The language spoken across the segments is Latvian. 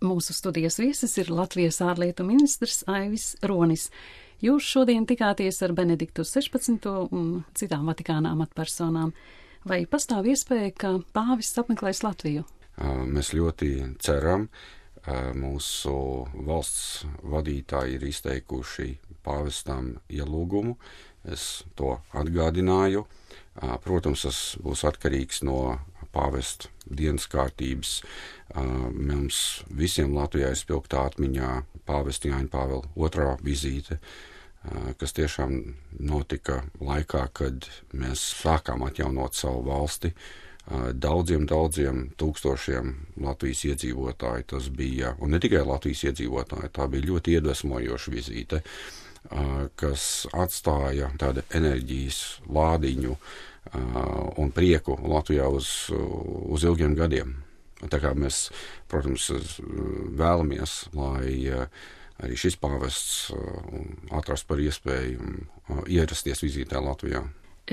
Mūsu studijas viesis ir Latvijas ārlietu ministrs Aivis Ronis. Jūs šodien tikāties ar Benediktu 16. un citām Vatikāna amatpersonām. Vai pastāv iespēja, ka pāvests apmeklēs Latviju? Mēs ļoti ceram. Mūsu valsts vadītāji ir izteikuši pāvestam ielūgumu. Es to atgādināju. Protams, tas būs atkarīgs no pāvesta dienas kārtības. Mums visiem Latvijā ir spilgtā atmiņā pāvesta Jāņa Pāvila II vizīte, kas tiešām notika laikā, kad mēs sākām atjaunot savu valsti. Daudziem tūkstošiem Latvijas iedzīvotāji tas bija, un ne tikai Latvijas iedzīvotāji, tā bija ļoti iedvesmojoša vizīte, kas atstāja tādu enerģijas lādiņu un prieku Latvijā uz ilgiem gadiem. Tā kā mēs, protams, vēlamies, lai arī šis pāvests atrast par iespēju ierasties vizītē Latvijā.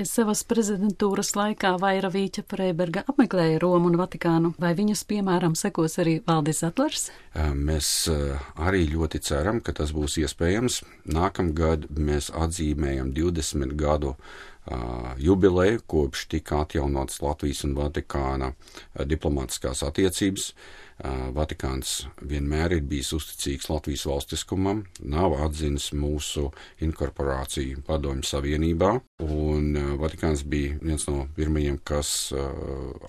Savas prezidentūras laikā Vaira Vīķa Freiberga apmeklēja Romu un Vatikānu. Vai viņas piemēram sekos arī Valdis Zatlers? Mēs arī ļoti ceram, ka tas būs iespējams. Nākamgad mēs atzīmējam 20 gadu jubileju, kopš tika atjaunotas Latvijas un Vatikāna diplomātiskās attiecības. Vatikāns vienmēr ir bijis uzticīgs Latvijas valstiskumam, nav atzinis mūsu inkorporāciju Padomju Savienībā, un Vatikāns bija viens no pirmajiem, kas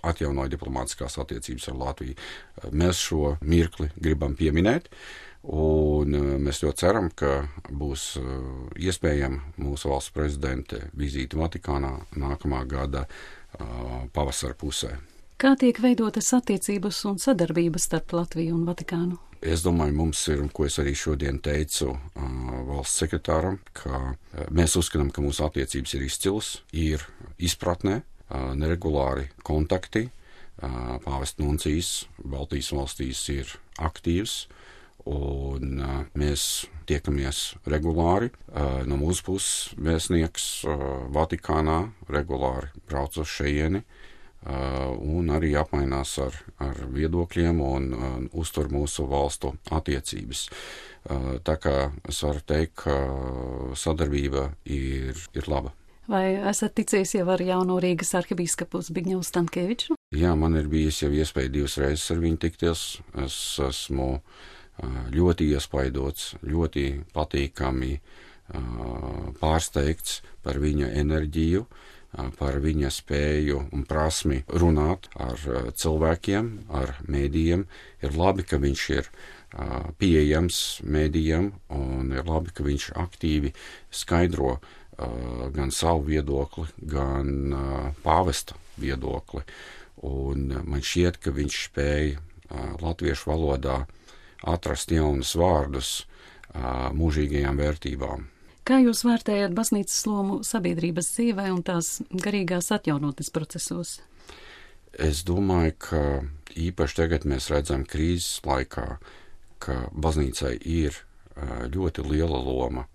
atjaunoja diplomātiskās attiecības ar Latviju. Mēs šo mirkli gribam pieminēt, un mēs ļoti ceram, ka būs iespējama mūsu valsts prezidente vizīte Vatikānā nākamā gada pavasara pusē. Kā tiek veidotas attiecības un sadarbības starp Latviju un Vatikānu? Es domāju, mums ir, un ko es arī šodien teicu valsts sekretāram, ka mēs uzskatām, ka mūsu attiecības ir izcilas, ir izpratnē, neregulāri kontakti, pāvesta nuncijs Baltijas valstīs ir aktīvs, un mēs tiekamies regulāri. No mūsu puses vēstnieks Vatikānā regulāri brauc uz šejieni, un arī apmainās ar viedokļiem un uztur mūsu valstu attiecības. Tā kā es varu teikt, ka sadarbība ir laba. Vai esat ticies jau ar jauno Rīgas arhibīskapu Zbigņevu Stankēviču? Jā, man ir bijis jau iespēja 2 reizes ar viņu tikties. Es esmu ļoti iespaidots, ļoti patīkami pārsteigts par viņa enerģiju, par viņa spēju un prasmi runāt ar cilvēkiem, ar mēdījiem. Ir labi, ka viņš ir pieejams mēdījiem, un ir labi, ka viņš aktīvi skaidro gan savu viedokli, gan pāvesta viedokli. Un man šķiet, ka viņš spēja latviešu valodā atrast jaunus vārdus mūžīgajām vērtībām. Kā jūs vērtējat baznīcas lomu sabiedrības dzīvē un tās garīgās atjaunotnes procesos? Es domāju, ka īpaši tagad mēs redzam krīzes laikā, ka baznīcai ir ļoti liela loma.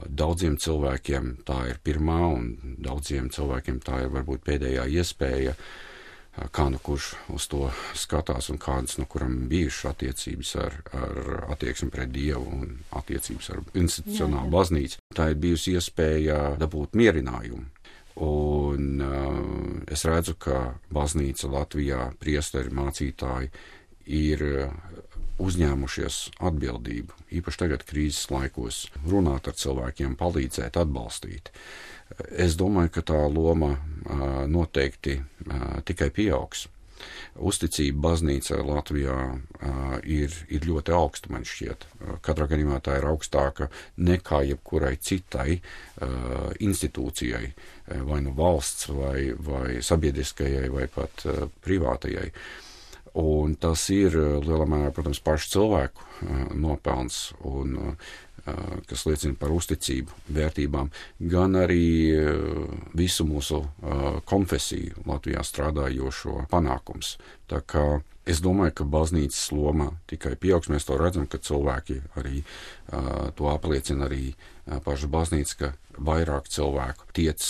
Daudziem cilvēkiem tā ir pirmā, un daudziem cilvēkiem tā ir varbūt pēdējā iespēja, kā nu kurš uz to skatās un kādas no kuram bijušas attiecības ar attieksmi pret Dievu un attiecības ar institucionālu baznīcu. Tā ir bijusi iespēja dabūt mierinājumu. Un es redzu, ka baznīca Latvijā, priesteri, mācītāji ir uzņēmušies atbildību, īpaši tagad krīzes laikos, runāt ar cilvēkiem, palīdzēt, atbalstīt. Es domāju, ka tā loma noteikti tikai pieaugs. Uzticība baznīcai Latvijā ir ļoti augsta, man šķiet. Katrā gadījumā tā ir augstāka nekā jebkurai citai institūcijai, vai nu valsts, vai sabiedriskajai, vai pat privātajai. Un tas ir lielā mērā, protams, pašu cilvēku nopelns, un kas liecina par uzticību, vērtībām, gan arī visu mūsu konfesiju Latvijā strādājošo panākums. Tā kā es domāju, ka baznīcas loma tikai pieaugs. Mēs to redzam, ka cilvēki arī to apliecina arī paša baznīca, ka vairāk cilvēku tiec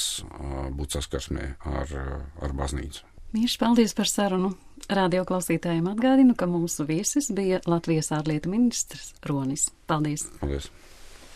būt saskarsmē ar baznīcu. Mīļš, paldies par sarunu. Radio klausītājiem atgādinu, ka mūsu viesis bija Latvijas ārlietu ministrs Ronis. Paldies! Paldies!